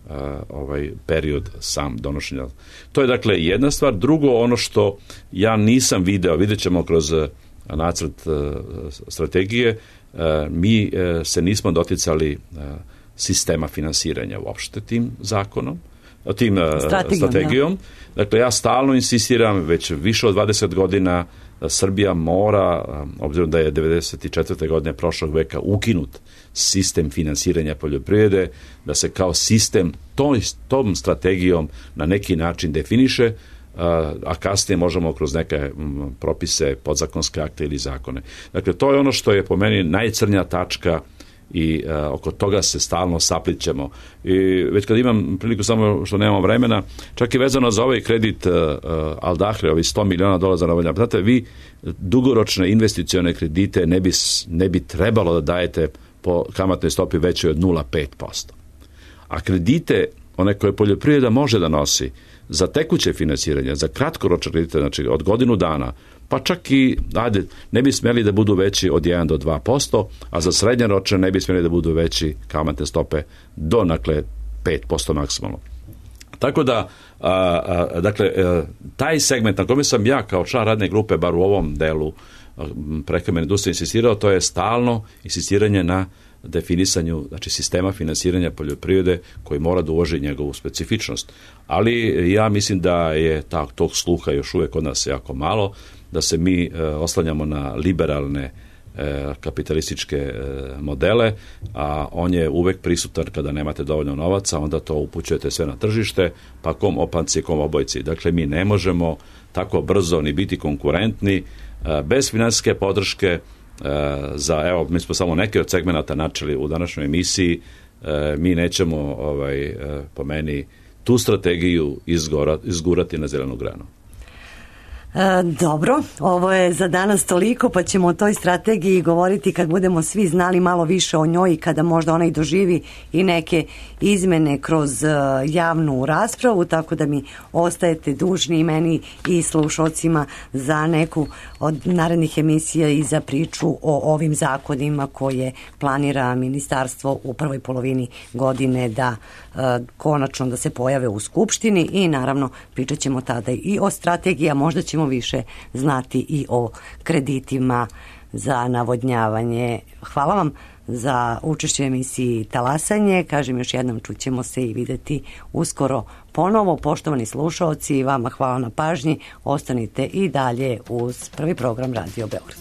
uh, ovaj period sam donošenja. To je dakle jedna stvar. Drugo, ono što ja nisam video, vidjet ćemo kroz uh, nacrt uh, strategije, uh, mi uh, se nismo doticali uh, sistema finansiranja uopšte tim zakonom, tim uh, strategijom. strategijom. Da. Dakle, ja stalno insistiram, već više od dvadeset godina, Srbija mora, obzirom da je devedeset četvrte godine prošlog veka ukinut sistem finansiranja poljoprivrede, da se kao sistem tom, tom strategijom na neki način definiše, a kasnije možemo kroz neke propise, podzakonske akte ili zakone. Dakle, to je ono što je po meni najcrnja tačka i uh, oko toga se stalno saplićemo. I već kad imam priliku, samo što nemamo vremena, čak i vezano za ovaj kredit uh, Al Dahre, ovi sto miliona dolara za navodnjavanje. Znate, vi dugoročne investicione kredite ne bi, ne bi trebalo da dajete po kamatnoj stopi većoj od nula zarez pet posto. A kredite, one koje poljoprivreda može da nosi, za tekuće finansiranje, za kratkoročne kredite, znači od godinu dana, pa čak i, ajde, ne bi smjeli da budu veći od jedan do dva posto, a za srednjoročne ne bi smjeli da budu veći kamatne stope do, dakle, pet posto maksimalno. Tako da, a, a, dakle, a, taj segment na kome sam ja kao član radne grupe, bar u ovom delu prehrambene industrije insistirao, to je stalno insistiranje na definisanju, znači, sistema finansiranja poljoprivrede koji mora da uvaži njegovu specifičnost. Ali ja mislim da je ta, tog sluha još uvijek kod nas jako malo, da se mi e, oslanjamo na liberalne e, kapitalističke e, modele, a on je uvek prisutan kada nemate dovoljno novaca, onda to upućujete sve na tržište, pa kom opanci, kom obojci. Dakle, mi ne možemo tako brzo ni biti konkurentni e, bez finansijske podrške e, za, evo, mi smo samo neke od segmenata načeli u današnjoj emisiji, e, mi nećemo, ovaj, e, po meni, tu strategiju izgora, izgurati na zelenu granu. E, dobro, ovo je za danas toliko, pa ćemo o toj strategiji govoriti kad budemo svi znali malo više o njoj i kada možda ona i doživi i neke izmene kroz uh, javnu raspravu, tako da mi ostajete dužni, i meni i slušalcima, za neku od narednih emisija i za priču o ovim zakonima koje planira ministarstvo u prvoj polovini godine da uh, konačno da se pojave u Skupštini, i naravno pričat ćemo tada i o strategiji, a možda ćemo više znati i o kreditima za navodnjavanje. Hvala vam za učešće u emisiji Talasanje. Kažem još jednom, čućemo se i videti uskoro ponovo. Poštovani slušaoci, vama hvala na pažnji. Ostanite i dalje uz prvi program Radio Beograd.